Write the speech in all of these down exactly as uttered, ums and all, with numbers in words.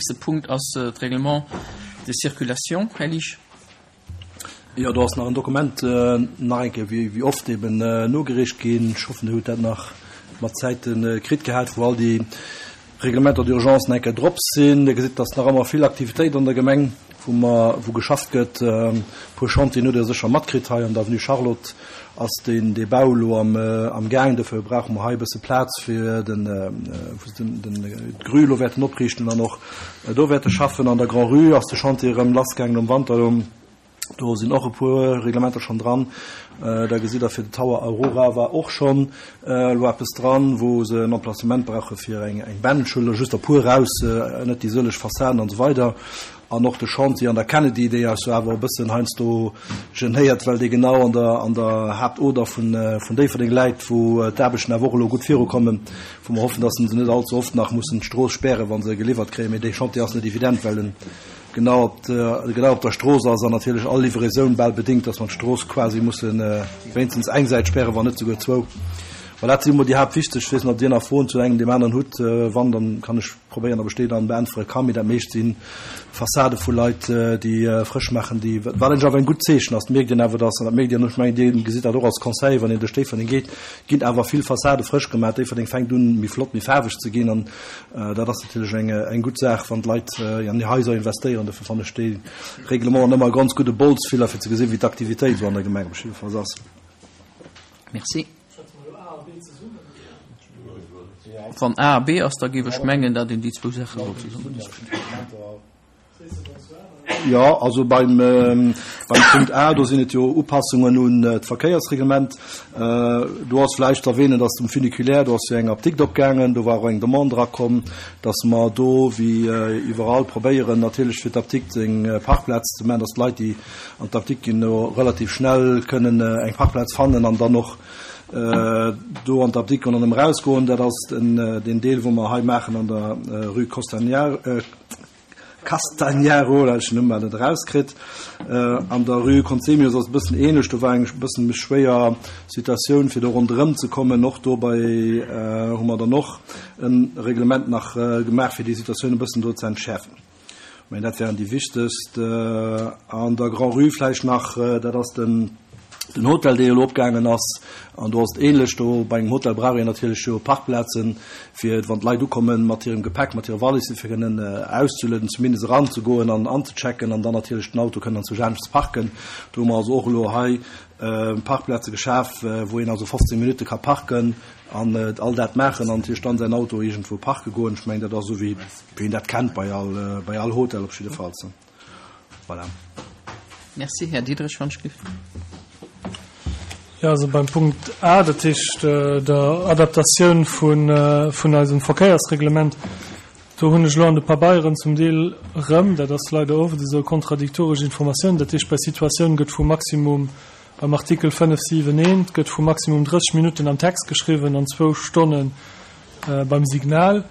Nächste Punkt ass d'Règlement de circulation. Här Liesch. Jo, do ass nach en Dokument, nach eng Kéier wéi, wéi oft eben nogereecht ginn. Ech hoffen, Dir hutt dat nach mat Zäite kritt gehat, wou all déi Reglementer d'urgence nach eng Kéier drop sinn. Dir gesitt, dass nach ëmmer vill Aktivitéit an der Gemeng, wou mer, wou geschafft gëtt. E puer Chantieren hutt Der sécher matkritt. Hei an der Avenue Charlotte ass deen, dee Bau elo am, am Gaang. Dofir brauche mer hei e bësse Plaz fir den, wou se den, den, d'Grue elo wäerten opriichten an och do wäerte schaffen. An der Grand-Rue ass de Chantier erëm lassgaangen um Wanter elo. Do sinn och e puer Reglementer schonn dran. Da gesitt Der, fir de Tower Aurora war och schonn elo eppes dran, wou se en Emplacement brauche fir eng Bench. Ech huelen der just e puer eraus, net déi sëlleg Fassaden an esou weider. An och de Chantier an der Kennedy, dee eis jo awer e bëssen heiansdo genéiert, well dee genau an der, an der Haaptoder vun, vun Déifferdeng läit, wou d'Aarbechten awer och elo gutt virukommen, wou mer hoffen, dass se net allze oft nach mussen d'Strooss spären, wa se geliwwert kréien. Mee dee Chantier ass net evident, well en genau op der, genau op der Strooss ass an natierlech all Livraison bal bedéngt, dass mer d'Strooss quasi musse wéinstens eng Säit spären, wann net souguer zwou. Voilà, dat si mol déi haaptwichteg. Ech weess net, ob Dir nach Froen zu engem, deem aneren hutt. Wann, dann kann ech probéieren, ob ech déi dann beäntwere kann. Mee dat meescht si Fassade vu Leit, déi frësch maachen, déi, wat eigentlech awer en gutt Zeechen ass. Dat mierkt een awer, dass, an dat mierkt Dir, ech mengen, Dir gesitt dat och als Conseil, wann een duerch Déifferdeng geet, ginn awer vill Fassade frësch gemaach. Déifferdeng fänkt un, méi flott, méi faarweg ze ginn. An dat ass natierlech eng, eng gutt Saach, wann d'Leit an hir Haiser investéieren. Dofir fannen ech déi Reglementen ëmmer e ganz gudde Bolzfiller, fir ze gesinn, wéi d'Aktivitéit esou an der Gemeng op jiddefalls ass. Merci. Wann A a B ass, da géif ech mengen, datt een déi zwou Saache sollt zesummen diskutéieren. Jo, also beim, beim Punkt A, do sinn et jo Upassungen un d'Verkéiersreglement. Do ass vläicht ze erwähnen, dass um Funiculaire, do ass jo eng Apdikt opgaangen, do war och eng Demande erakomm, dass mer do, wéi iwwerall, probéieren natierlech fir d'Apdikt eng Parkplaz ze maachen, dass d'Leit, déi an d'Apdikt ginn, do relativ schnell kënnen eng Parkplaz fannen an dann och do an d'Apdikt goen an erëm erausgoen. Dat ass den, deen Deel, wou mer hei maachen an der Rue Costagnaro, Castagnaro, dat ech den Numm bal net erauskritt. An der Rue Conzemius ass et e bëssen ähnlech, do war eng bëssen méi schwéier Situatioun, fir do ronderëm ze kommen. Och dobäi hu mer dann och e Reglement nach gemaach, fir déi Situatioun e bëssen do ze entschäerfen. Mä dat wären déi wichtegst. An der Grand-Rue vläicht nach, dat ass den, den Hotel, dee elo opgaangen ass, an do ass et ähnlech. Do bei engem Hotel brauch een natierlech jo Parkplazen, fir wann d'Leit ukommen mat hirem Gepäck, mat hire Valissen, fir kënnen auszelueden, zumindest eranzegoen an anzechecken an dann natierlech den Auto kënnen anzwousch anescht ze parken. Do hu mer also och elo hei Parkplaze geschaf, wou een also fofzéng Minutte ka parken an all dat maachen an natierlech dann säin Auto iergendwou parke goen. Ech mengen, dat ass esou wéi een dat kennt bei all, bei all Hotel op jiddefalls. Voilà. Merci. Här Diderich, wann ech giff. Jo, also beim Punkt A, dat heescht der Adaptatioun vun, vun eisem Verkéiersreglement, do hunn ech elo an de Pabeieren zum Deel erëm, dat ass leider oft esou, kontradiktoresch Informatiounen. Dat heescht, bei Situatioun gëtt vu maximum, beim Artikel fënnef siwen eent gëtt vu maximum drësseg Minutten am Text geschriwwen an zwou Stonne beim Signal.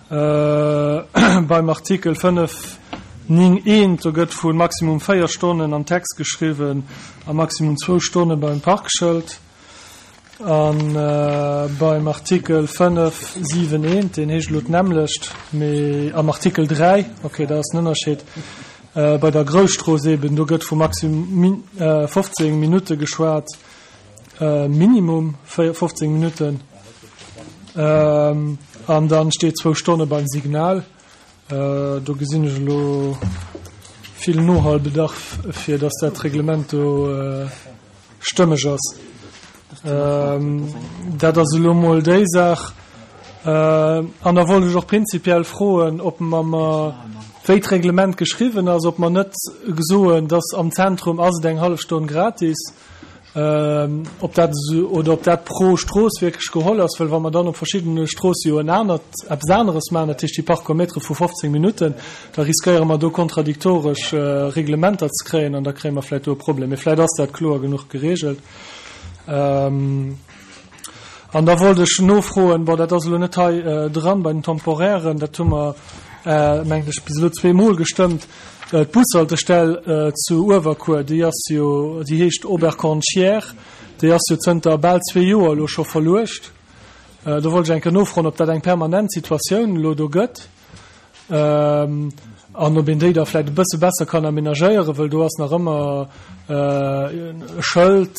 Beim Artikel fënnef ning eent, do gëtt vu maximum véier Stonnen am Text geschriwwen a maximum zwou Stonne beim Parkschëld. A beim Artikel fënnef siwen eent, deen heescht elo d'nämmlecht, mee am Artikel dräi, okay, da ass en Ënnerscheed, bei der Grousstrooss eben, do gëtt vu maximum fofzéng Minutte geschwat, minimum fofzéng Minutten. An dann steet zwou Stonne beim Signal. Do gesinn ech elo vill Nohalbedarf, fir dass dat Reglement do stëmmeg ass. Dat ass elo emol déi Saach. An da wollt ech och prinzipiell froen, ob mer, mer, wéi d'Reglement geschriwwen ass, ob mer net soen, dass am Zentrum ass et eng hallef Stonn gratis, ob dat esou oder ob dat pro Strooss wierklech geholl ass, well wa mer dann op verschiddene Stroosse jo en anert, eppes aneres maachen, dat heescht déi Parkometere vu fofzéng Minutten, da riskéiere mer do kontradiktoresch Reglementer ze kréien an da kréie mer vläicht do e Problem. Mee vläicht ass dat kloer genuch geregelt. An da wollt ech nofroen, bon, dat ass elo net hei dran bei den Temporairen, dat hu mer, mengen ech, bis elo zweemol gestëmmt, d'Bushaltestell zu Uewerkuer, déi ass jo, déi heescht Oberkornchière, déi ass jo zënter bal zwee Joer elo scho verluecht. Do wollt ech eng Kéier nofroen, ob dat eng permanent Situatioun elo do gëtt An ob een déi da vläicht e bësse besser kann amenagéieren, well do ass nach ëmmer e Schëld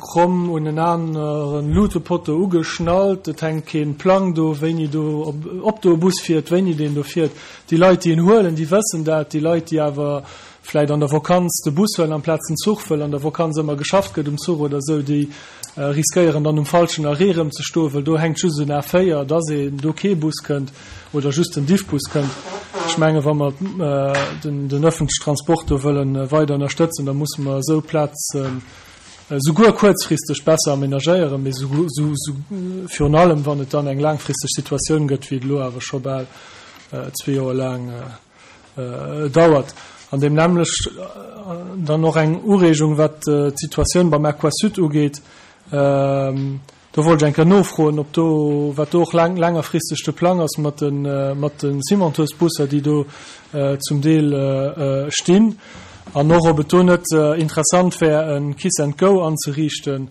kromm un en aneren Lutepotto ugeschnallt, et hänkt keen Plang do, wéini do, ob do e Bus fiert, wéini deen do fiert. Déi Leit, déi en huelen, déi wëssen dat. Déi Leit, déi awer vläicht an der Vakanz de Bus huelen amplaz den Zuch, wëll an der Vakanz ëmmer geschafft gëtt um Zuch oder esou, déi riskéieren dann um falschen Arrêt erëm ze stoen, wëll do hänkt just en A véier, dass een do kee Bus kënnt oder just den Diffbus kënnt. Ech menge wa mer den den öffentlichen Transport do wëllen weider ënnerstëtzen, da musse mer esou Plazen souguer kuerzfristeg besser amenagéieren, mee virun allem wann et dann eng laangfristeg Situatioun gëtt, wéi et elo awer scho bal zwee Joer laang dauert. An deem nämmlecht dann och eng Ureegung, wat d'Situatioun beim Aquasud ugeet. Do wollt ech eng Kéier nofroen, ob do, wat do och laang, längerfristeg de Plang ass mat de, mat de Cimenteusbusser, déi do zum Deel stinn, an och ob et do net interessant wär, e Kiss and Go anzeriichten,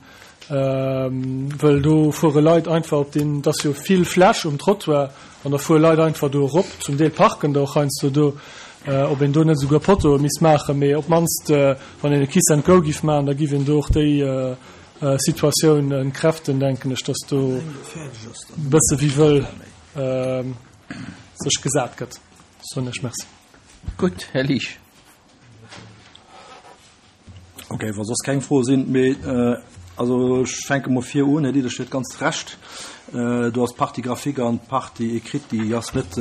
wëll do fuere Leit einfach op deen, et ass jo vill Fläch um Trottoir, an da fuere Leit einfach do erop, zum Deel parken der och heiansdo do, ob een do net esouguer Pottoe misst maachen, mee op d'mannst wann een e Kiss and Go giff maachen, da giff een do och déi Situatioun entkräften, denken ech, dass do e bësse wéi wëll sech gesat gëtt. Soen ech Merci. Gutt, Här Liesch. Ok, wa soss keng Froe sinn, mee also ech fänke mol vir un, Här Diderich huet ganz Recht, do ass d'Partie graphique an d'Partie écrite, déi ass net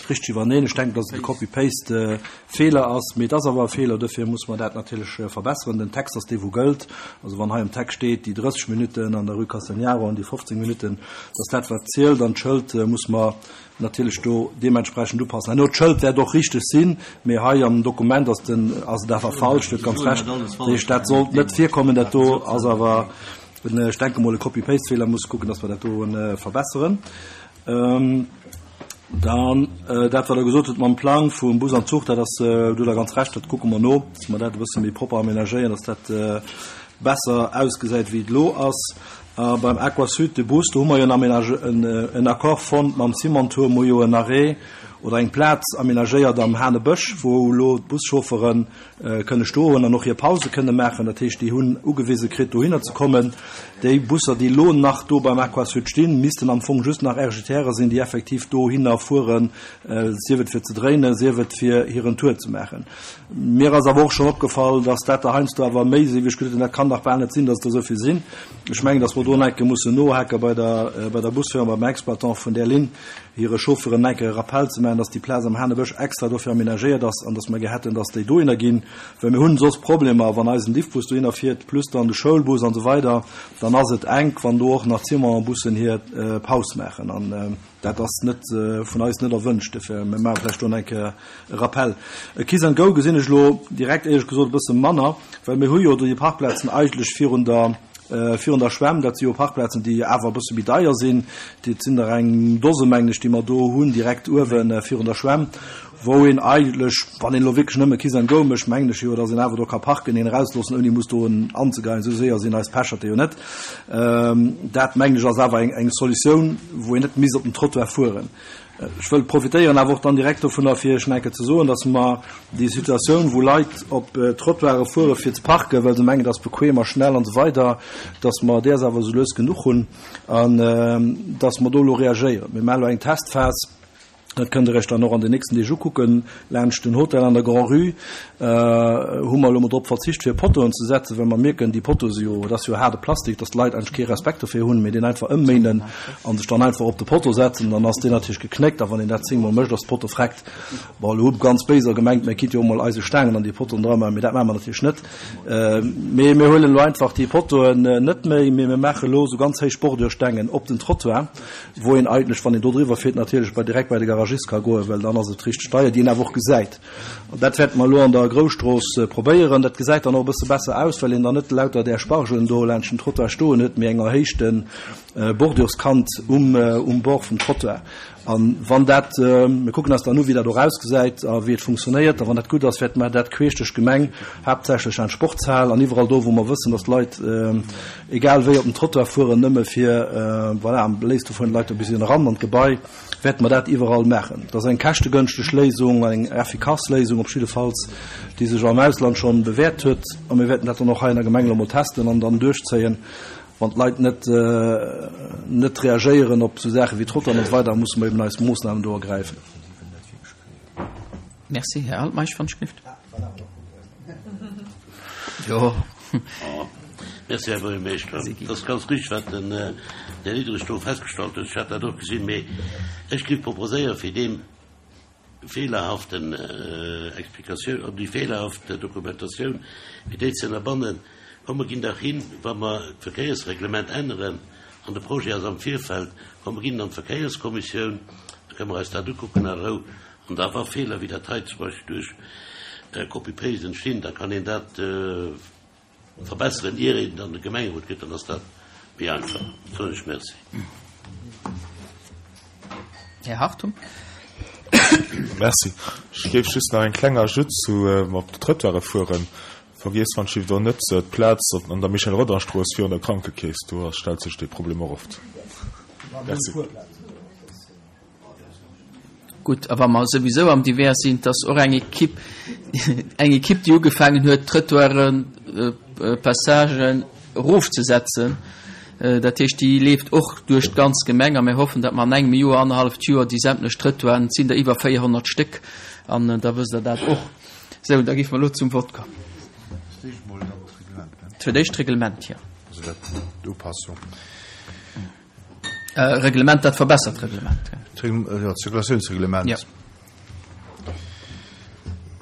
richteg iwwerneen. Ech denken, datt et e Copy-paste-Feeler ass, mee et ass awer e Feeler, duerfir musse mer dat natierlech verbesseren. Den Text ass dee wou gëllt. Also wann hei am Text steet, déi drësseg Minutten an der Rue Castagnaro an déi fofzéng Minutten, dat ass dat wat zielt an d'Schëld musse mer natierlech do deementsprechend upassen. Herno, d'Schëld wäert och richteg sinn, mee hei am Dokument ass den, ass et awer falsch. Dir hutt ganz Recht. Dat heescht, dat sollt net virkommen. Dat do ass awer, ech denke mol, e Copy-Paste-Feeler. Muss kucken, dass mer dat do verbesseren. Dann dat, wat Der gesot hutt mam Plang vum Bus an Zuch, dat ass, do hutt Der ganz Recht, dat kucke mer no, dass mer dat e bësse méi propper amenagéieren, dass dat besser ausgesäit, wéi et elo ass. A beim Aquasud, de Bus, do hu mer jo en Accord fonnt mam Cimentour, mer hu jo en Arrêt oder eng Plaz amenagéiert am Hanebësch, wou elo d'Buschauffere kënne stoen an och hir Pause kënne maachen. Dat heescht, déi hunn ugewise kritt, dohinner ze kommen. Déi Busser, déi elo nach do beim Aquasud stinn, missten am Fong just nach R G T Re sinn, déi effektiv dohinner fueren, sief et fir ze dréinen, sief et fir hiren Tour ze maachen. Mir ass awer och schonn opgefall, dass dat der heiansdo awer méi sinn, wéi ech geduet hunn. Dat kann dach bal net sinn, dass et der esou vill sinn. Ech mengen, dass mer do nach eng Kéier mussen nohake bei der, bei der Busfirma, beim Exploitant vun där Linn, hire Chauffeuren nach eng Kéier e Rappell ze maachen, dass déi Plaz am Hanebësch extra dofir amenagéiert ass an dass mer gär hätten, dass déi dohinner ginn, well mir hunn soss Problemer, wann eisen Diffbus dohinner fiert, plus dann de Schoulbus an esou weider, dann ass et enk, wann do och nach d'Ciment-Bussen hir Paus maachen. An dat ass net vun eis net erwënscht. Dofir, mir maache vläicht do nach eng Kéier e Rappell. E Kiss and Go gesinn ech elo direkt éierlech gesot e bësse manner, well mir hu jo do déi Parkplazen eigentlech virun der, virun der Schwämm. Dat si jo Parkplazen, déi awer e bësse méi deier sinn. Dat sinn der eng Dose, mengen ech, déi mer do hunn, direkt uewe virun der Schwämm, wou een eigentlech, wann een elo wierklech nëmme Kiss and Go mécht, mengen ech jo, datt een awer do ka parken, een erausloossen, ouni muss do en anzegeien. Esou séier sinn eis Pecherte jo net. Dat, mengen ech, ass awer eng, eng Solutioun, wou een net misst op den Trottoir fueren. Ech wëll profitéieren awer och dann direkt dovunner, fir Iech nach eng Kéier ze soen, datt mer déi Situatioun, wou Leit op Trottoire fuere fir ze parken, well se mengen, et ass bequem a schnell an esou weider, datt mer däers awer esou lues genuch hunn an datt mer do elo reagéieren. Mir maachen elo eng Testphas. Dat kënnt Der Iech dann och an den nächsten Deeg ukucken. Laanscht den Hotel an der Grand-Rue hu mer elo mol drop verzicht, fir Pottoen ze setzen, well mer mierken, déi Pottoe si jo, dat ass jo haarde Plastik, dass d'Leit eigentlech kee Respekt dofir hunn, mee deen einfach ëmméinen a sech dann einfach op de Potto setzen. Dann ass deen natierlech geknéckt a wann een dat zéngmol mécht, ass de Potto vreckt. Bon, elo hu ganz Béiser gemengt, mir kinnt jo och mol eise Staangen an déi Pottoen dra maachen, mee dat maache mer natierlech net. Mee mir huelen elo einfach déi Pottoen net méi, mee mir maache elo esou ganz héich Bordürstengen op den Trottoir, wou een eigentlech, wann een do driwwer fiert, natierlech bei direkt bei de Garagist ka goen, well dann ass et richteg deier, déi een awer och gesäit. An dat wäerte mer elo an der Grousstrooss probéieren. Dat gesäit dann och e bësse besser aus, well een dann net lauter där Spargelen do laanscht den Trottoir stoen huet, mee eng erhéichte Bordürskant um, um Bord vum Trottoir. An wann dat, mir kucken eis dann u wéi dat och ausgesäit a wéi et funktionéiert, a wann dat gutt ass, wäerte mer dat queesch duerch d'Gemeng, haaptsächlech an d'Sportshal an iwwerall do, wou mer wëssen, dass d'Leit egal wéi op den Trottoir fueren, nëmme fir, voilà, am léifste fueren d'Leit do bis eran an d'Gebai, wäerte mer dat iwwerall maachen. Dat ass eng käschtegënschteg Léisung, eng effikass Léisung op jiddefalls, déi sech am Ausland schonn bewäert huet. A mir wäerten dat dann och hei an der Gemeng elo mol testen an dann duerchzéien. Wann d'Leit net, net reagéieren op esou Saache wéi Trottoiren an esou weider, musse mer eben eis Moossnamen do ergräifen. Merci. Här Altmeisch, wann ech gelift. Jo. Merci, Här Buergermeeschter. Et ass ganz richtig, wat den Här Diderich do festgestallt huet. Ech hat dat och gesinn. Mee ech géif proposéieren, fir deem feelerhaften Explikatioun, déi feelerhaft Dokumentatioun, fir déi ze ënnerbannen, Komm mer ginn dach hin, wa mer d'Verkéiersreglement änneren, an de Projet ass am Virfeld, komm mer ginn an d'Verkéierskommissioun, da kënne mer eis dat ukucken a Rou, an da wa Feeler wéi dat hei zum Beispill duerch Copy-paste entstinn, da kann een dat verbesseren, ier een et an de Gemengerot gëtt, dann ass dat méi einfach. Soen ech Merci. Här Hartung. Merci. Ech géif just nach eng kleng Ajout zu op de Trottoire fueren. Vergiesst wann Schiff do net d'Plaz an der Michel Rodange Strooss virun der Krankekeess, do stellt sech dee Problem och oft. Merci. Gutt, a wa mer souwisou am Divers sinn, 't ass och eng Equipe, eng Equipe, déi ugefaangen huet, d'Trëttoiren, Passagen erofzesetzen. Dat heescht, déi leeft och duerch d'ganz Gemeng a mir hoffen, datt mer an engem Joer, annerhalleft Joer déi sämtlech Trëttoiren, et sinn der iwwer véierhonnert Stéck, an da wësst Der dat och. Sou, da géife mer elo zum Vott kommen. Fir d'éischt d'Reglement, jo. Reglement, dat verbessert Reglement. Jo, d'Zirkulatiounsreglement. Jo.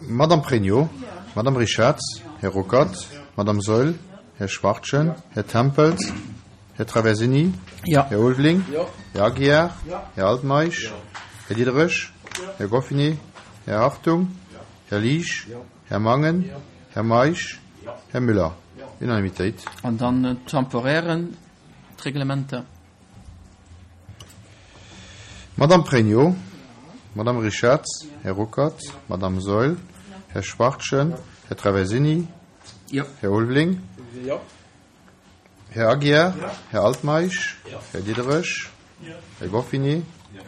Madame Pregno, Madame Richarz, Här Ruckert, Madame Saeul, Här Schwachtgen, Här Tempels, Här Traversini, Här Ulveling, Här Aguiar, Här Altmeisch, Här Diderich, Här Goffinet, Här Hartung, Här Liesch, Här Mangen, Här Meisch, Här Müller. Unanimitéit. An dann d'temporären Reglementer. Madame Pregno, Madame Richarz, Här Ruckert, Madame Saeul, Här Schwachtgen, Här Traversini, Här Ulveling, Här Aguiar, Här Altmeisch, Här Diderich, Här Goffinet,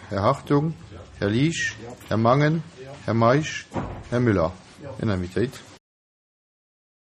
Här Hartung, Här Liesch, Här Mangen, Här Meisch, Här Müller. Unanimitéit.